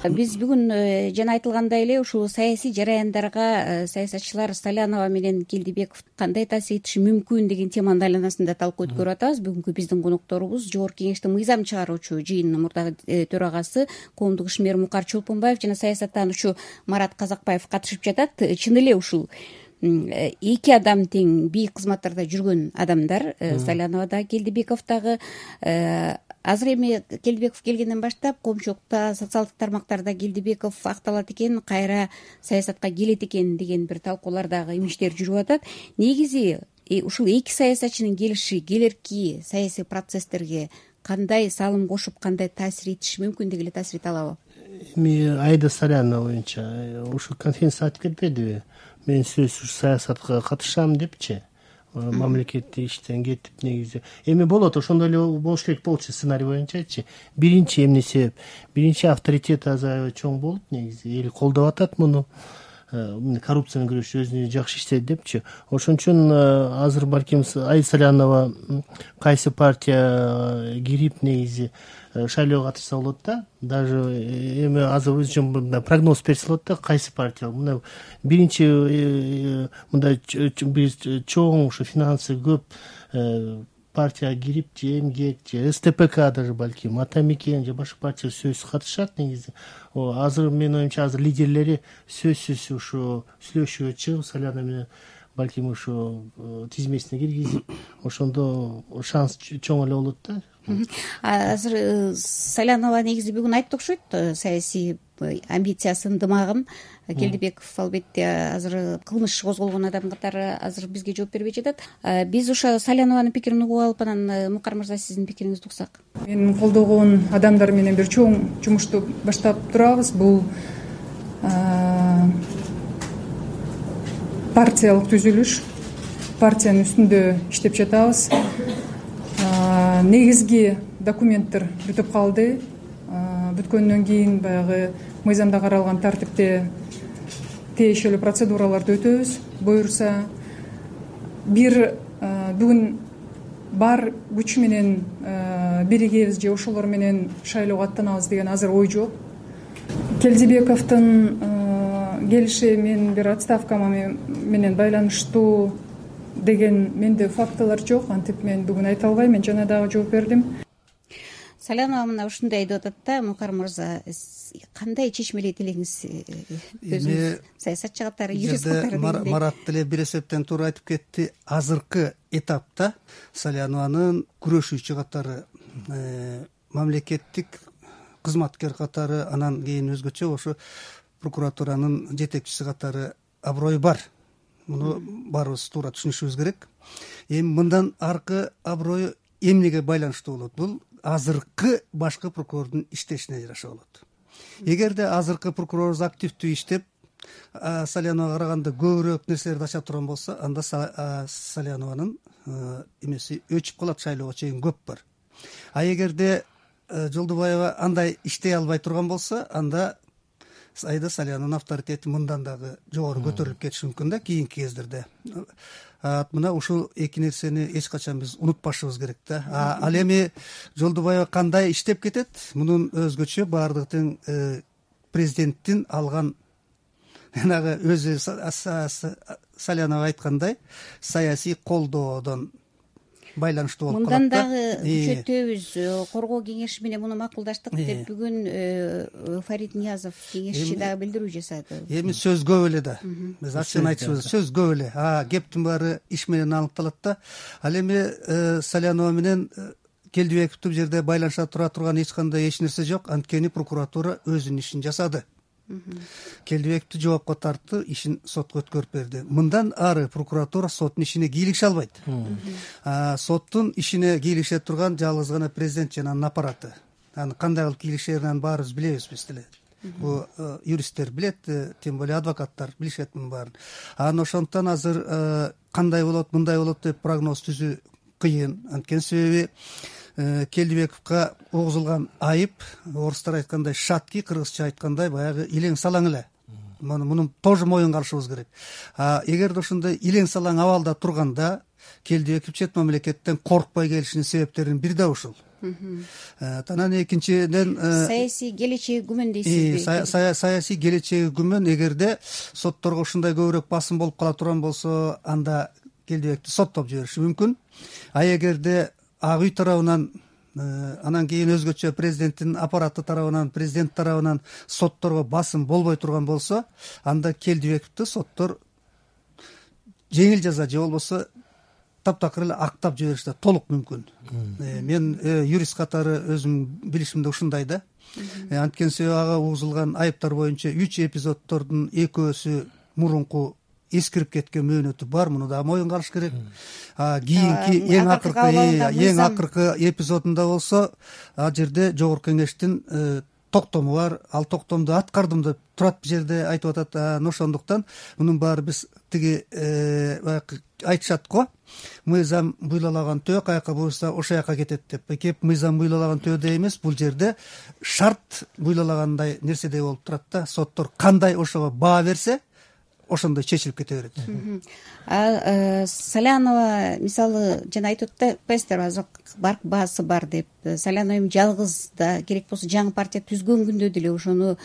Биз бүгүн жана айтылгандай эле ушул саясий жараяндарга саясатчылар Салянова менен Келдибеков кандай таасир этиши мүмкүн деген теманын айланасында талкуу өткөрүп атабыз. Бүгүнкү биздин конокторубуз Жогорку Кеңештин мыйзам чыгаруучу жыйынынын мурдагы төрагасы Коомдук ишмер Мукар Чолпонбаев жана саясаттануучу Марат Казакбаев катышып жатат. Чын эле ушул эки адам тең бийик кызматтарда жүргөн адамдар, Салянова да Келдибеков дагы. Азыр эми Келдибеков келгенден баштап коомчулукта, социалдык тармактарда Келдибеков акталат экен, кайра саясатка келет экен деген бир талкуулар дагы имиштер жүрүп атат. Негизи ушул эки саясатчынын келиши келерки саясий процесстерге кандай салым кошуп, кандай таасир этиши мүмкүн деги эле таасир эте алабы? Эми Айда Салянова боюнча ушул конференция айтып кетпедиби? Мен сөзсүз саясатка катышам депчи, мамлекеттик иштен кетип негизи. Эми болот, ошондой эле болуш керек болчу сценарий боюнчачы. Биринчи эмне себеп? Биринчи авторитет азыр чоң болуп, негизи эл колдоп атат муну. Коррупция менен күрөшүш өзүнө жакшы иштейт депчи. Ошон үчүн азыр балким Айда Салянова кайсы партия кирип негизи шайлоого катышса болот да. Даже эми азыр өзүнчө прогноз берсе болот да, кайсы партия. Мына биринчи мындай биз чоң ушу финансы көп партия кирип, же МГЕК, же СТПК даже балким, Атамекен же башка партия сөзсүз катышат негизи. Азыр менин оюмча азыр лидерлери сөзсүз ушу сүйлөшүүгө чыгып, Салянова менен балким ушу тизмесине киргизип, ошондо шанс чоң эле болот да. Азыр Салянова негизи бүгүн айтты окшойт, саясий амбициясын, дымагын. Келдибеков албетте азыр кылмыш козголгон адам катары азыр бизге жооп бербей жатат. Биз ошо Салянованын пикирин угуп алып, анан Мукар мырза сиздин пикириңизди уксак. Мен колдогон адамдар менен бир чоң жумушту баштап турабыз. Бул партиялык түзүлүш, партиянын үстүндө иштеп жатабыз. Негизги документтер бүтүп калды. Бүткөндөн кийин баягы мыйзамда каралган тартипте тиешелүү процедураларды өтөбүз. Буюрса, бир бүгүн бар күч менен биригебиз же ошолор менен шайлоого аттанабыз деген азыр ой жок. Келдибековдун келиши мен бир отставкама менен байланыштуу деген менде фактылар жок. Антип мен бүгүн айта албайм. Мен жана дагы жооп бердим. Салянова мына ушундай деп атат да, Мукар мырза, кандай чечмелейт элеңиз? Өзүңүз саясатчы катары, юрист катары. Марат деле бир эсептен туура айтып кетти. Азыркы этапта Салянованын күрөшүүчү катары, мамлекеттик кызматкер катары, анан кийин өзгөчө ошо прокуратуранын жетекчиси катары аброю бар. Муну баарыбыз туура түшүнүшүбүз керек. Эми мындан аркы аброю эмнеге байланыштуу болот? Бул азыркы башкы прокурордун иштешине жараша болот. Эгерде азыркы прокурорубуз активдүү иштеп, Саляновага караганда көбүрөөк нерселерди ача турган болсо, анда Салянованын эмеси өчүп калат, шайлоого чейин көп бар. А эгерде Жолдубаева андай иштей албай турган болсо, анда Айда Салянованын авторитети мындан дагы жогору көтөрүлүп кетиши мүмкүн да кийинки кездерде. Мына ушул эки нерсени эч качан биз унутпашыбыз керек да. Ал эми Жолдубаева кандай иштеп кетет? Мунун өзгөчө баардыгы тең президенттин алган жанагы өзү Салянова айткандай саясий колдоодон байланыштуу болуп калат да. Мындан дагы күчөтөбүз, коргоо кеңеши менен муну макулдаштык деп бүгүн Фарид Ниязов кеңешчи дагы билдирүү жасады. Эми сөз көп эле да. Биз ачыгын айтышыбыз, сөз көп эле. Кептин баары иш менен аныкталат да. Ал эми Салянова менен Келдибековду бул жерде байланыша тура турган эч нерсе жок. Анткени прокуратура өзүнүн ишин жасады. Келдибековду жоопко тартты, ишин сотко өткөрүп берди. Мындан ары прокуратура соттун ишине кийлигише албайт. Соттун ишине кийлигише турган жалгыз гана президент жана анын аппараты. Аны кандай кылып кийлигишерин баарыбыз билебиз биз деле. Бул юристтер билет, тем более адвокаттар билишет мунун баарын. Ошондон азыр кандай болот, мындай болот деп прогноз түзүү кыйын. Анткени себеби Келдибековго огузулган айып, орустар айткандай шатки, кыргызча айткандай баягы илең салаң эле. Мунун тоже моюнга алышыбыз керек. Эгерде ошондой илең салаң абалда турганда Келдибеков чет мамлекеттен коркпой келишинин себептеринин бири да ушул. Анан экинчиден саясий келечеги күмөн дейсизби? Саясий келечеги күмөн. Эгерде сотторго ушундай көбүрөөк басым болуп кала турган болсо, анда Келдибекти соттоп жибериши мүмкүн. А эгерде Ак үй тарабынан анан кийин өзгөчө президенттин аппараты тарабынан, президент тарабынан сотторго басым болбой турган болсо, анда Келдибековду соттор жеңил жаза же болбосо таптакыр эле актап жибериши да толук мүмкүн. Мен юрист катары өзүм билишимде ушундай да. Анткени себеби ага угузулган айыптар боюнча 3 эпизоддордун экөөсү мурунку эскирип кеткен мөөнөтү бар. Муну да моюнга алыш керек. Кийинки эң акыркы эпизодунда болсо, ал жерде жогорку кеңештин токтому бар. Ал токтомду аткардым деп турат бул жерде айтып атат. Ошондуктан мунун баары биз тиги айтышат го. Мыйзам буйлаган төө каяка буйса ошол жака кетет деп. Кеп мыйзам буйлаган төөдөй эмес, бул жерде шарт буйлагандай нерседей болуп турат да. Соттор кандай ошого баа берсе, ошондой чечилип кете берет. Салянова мисалы жана айтып атпайсыздарбы, азыр баасы бар деп. Салянова эми жалгыз да керек болсо жаңы партия түзгөн күндө деле ошону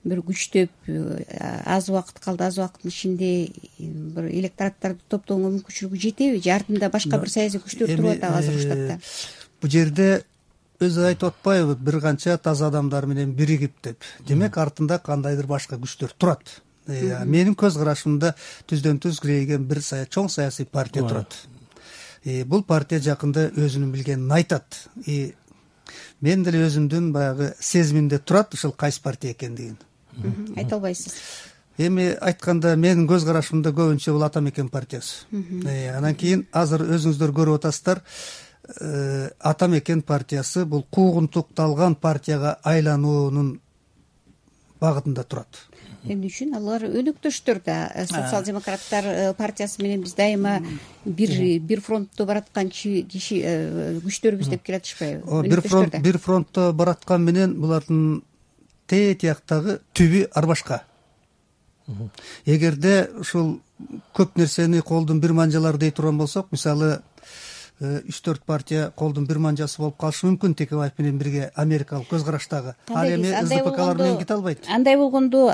бир күчтөп, аз убакыт калды, аз убакыттын ичинде бир электораттарды топтоого мүмкүнчүлүгү жетеби? Же артында башка бир саясий күчтөр туруп атабы азыр штатта? Бул жерде өзү айтып атпайбы, бир канча таза адамдар менен биригип деп. Демек артында кандайдыр башка күчтөр турат. Менин көз карашымда түздөн түз кирейген бир чоң саясий партия турат. Бул партия жакында өзүнүн билгенин айтат. Мен деле өзүмдүн баягы сезимимде турат ушул кайсы партия экендигин. Айта албайсыз? Эми айтканда менин көз карашымда көбүнчө бул Ата Мекен партиясы. Анан кийин азыр өзүңүздөр көрүп атасыздар, Ата Мекен партиясы бул куугунтукталган партияга айлануунун багытында турат. Эмне үчүн? Алар өнөктөштөр да. Социал-демократтар партиясы менен биз дайыма бир фронтто бараткан киши күчтөрбүз деп келатышпайбы? Бир фронтто бараткан менен булардын тияктагы түбү ар башка. Эгерде ушул көп нерсени колдун бир манжалары дей турган болсок, мисалы 3-4 партия колдун бир манжасы болуп калышы мүмкүн Текебаев менен бирге америкалык көз караштагы. Ал эми СДПКлар менен кете албайт. Андай болгондо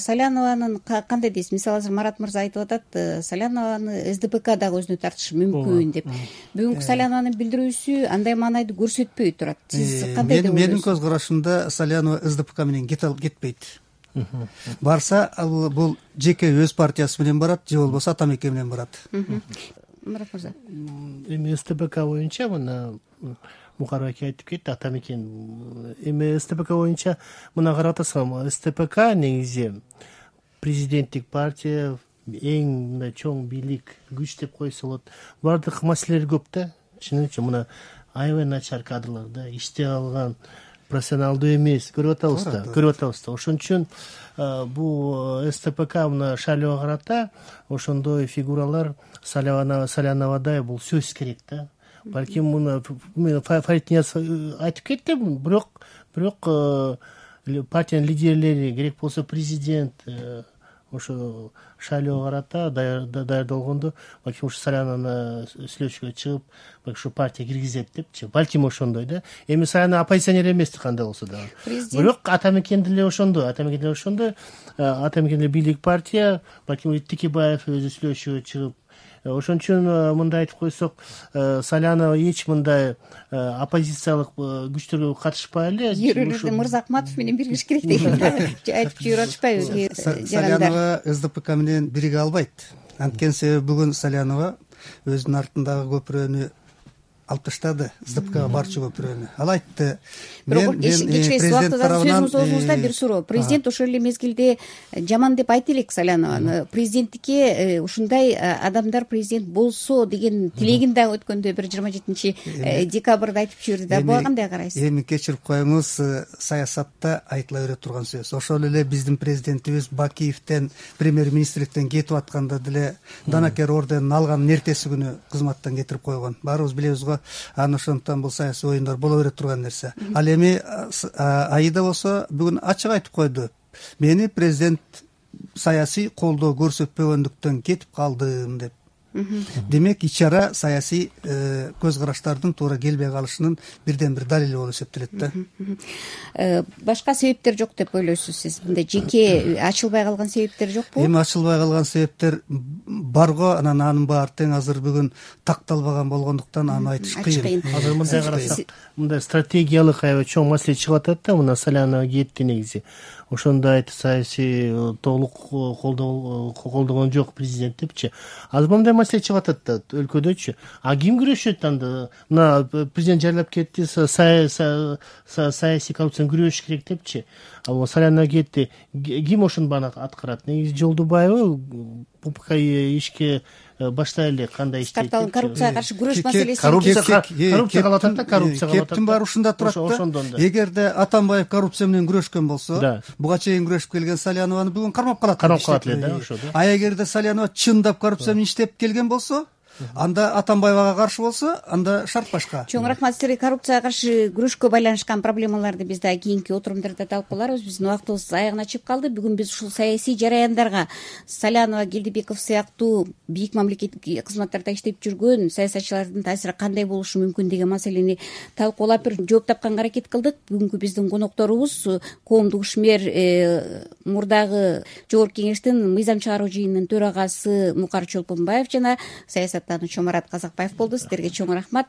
Салянованын кандай дейсиз? Мисалы азыр Марат мырза айтып атат, Салянованы СДПК дагы өзүнө тартышы мүмкүн деп. Бүгүнкү Салянованын билдирүүсү андай маанайды көрсөтпөй турат. Сиз кандай деп ойлойсуз? Менин көз карашымда Салянова СДПК менен кетпейт. Барса бул жеке өз партиясы менен барат, же болбосо Ата Мекен менен барат. Марат мырза. Эми СТПК боюнча мына Мукарбек айтып кетти, Ата Мекен. Эми СТПК боюнча мына карап атсам, СТПК негизи президенттик партия, эң мындай чоң бийлик, күч деп койсо болот. Бардык маселелери көп да. Чынында мына аябай начар кадрлар да, иштей алган, профессионалдуу эмес, көрүп атабыз да. Ошон үчүн бул СТПК мына шайлоого карата ошондой фигуралар Саляновадай бул сөзсүз керек да. Балким муну Фарид Нияз айтып кетти, бирок партиянын лидерлери, керек болсо президент ошо шайлоого карата даярдалгондо балким ушу Салянованы сүйлөшүүгө чыгып, ушу партия киргизет депчи. Балким ошондой да. Эми Салянова оппозиционер эмес кандай болсо да. Бирок Ата Мекен деле ошондой. Ата Мекен деле бийлик партия, балким Текебаев өзү сүйлөшүүгө чыгып. Ошон үчүн мындай айтып койсок, Салянова эч мындай оппозициялык күчтөргө катышпай эле. Ошо Мырзахматов менен биригиш керек деген айтып жүрүп атышпайбы? Салянова СДПК менен бириге албайт. Анткени себеби бүгүн Салянова өзүнүн артындагы көпүрөнү алып таштады, СДПКга барчу көпүрөнү. Ал айтты. Бирок президент тарабынан сөзүңүздө бир суроо. Президент ошол эле мезгилде жаман деп айта элек Салянованы. Президенттикке ушундай адамдар президент болсо деген тилегин дагы өткөндө бир 27 декабрда айтып жиберди да. Буга кандай карайсыз? Эми кечирип коюңуз, саясатта айтыла бере турган сөз. Ошол эле биздин президентибиз Бакиевден, премьер-министрликтен кетип атканда деле Данакер орденин алган эртеси күнү кызматтан кетирип койгон. Баарыбыз билебиз го. Ошондон бул саясий оюндар боло бере турган нерсе. Ал эми Аида болсо бүгүн ачык айтып койду. Мени президент саясий колдоо көрсөтпөгөндүктөн кетип калдым деп. демек ич ара саясий көз караштардын туура келбей калышынын бирден бир далили болуп эсептелет да. Башка себептер жок деп ойлойсуз сиз? Мындай жеке ачылбай калган себептер жокпу? Эми ачылбай калган себептер барго, анан анын баары тең азыр бүгүн такталбаган болгондуктан аны айтыш кыйын. Азыр мындай карасак, мындай стратегиялык аябай чоң маселе чыгып атат да, мына Салянова кетти негизи. Ошондо айтып саясий толук колдогон жок президент депчи. Азыр мындай маселе чыгып атат да өлкөдөчү. А ким күрөшөт анда? Мына президент жарлап кетти, саясий коррупцияны күрөшүш керек депчи. А Салянова кетти. Ким ошону бана аткарат? Негизи Жолдубаева ППК ишке баштай эле кандай иштейт? Коррупцияга каршы күрөш маселеси. Коррупция калып атат да, коррупция калып атат. Кептин баары ушунда турат да. Эгерде Атамбаев коррупция менен күрөшкөн болсо, буга чейин күрөшүп келген Салянованы бүгүн кармап калат. Кармап калат эле да, ошо да. А эгерде Салянова чындап коррупция менен иштеп келген болсо, анда Атамбаевага каршы болсо, анда шарт башка. Чоң рахмат сизерге. Коррупцияга каршы күрөшкө байланышкан проблемаларды биз дагы кийинки отурумдарда талкууларбыз. Биздин убактыбыз аягына чыгып калды. Бүгүн биз ушул саясий жараяндарга Салянова, Келдибеков сыяктуу бийик мамлекеттик кызматтарда иштеп жүргөн саясатчылардын таасири кандай болушу мүмкүн деген маселени талкуулап бир жооп тапканга аракет кылдык. Бүгүнкү биздин конокторубуз коомдук ишмер мурдагы Жогорку Кеңештин мыйзам чыгаруу жыйынынын төрагасы Мукар Чолпонбаев жана саясаттануучу Марат Казакбаев болду. Сиздерге чоң рахмат.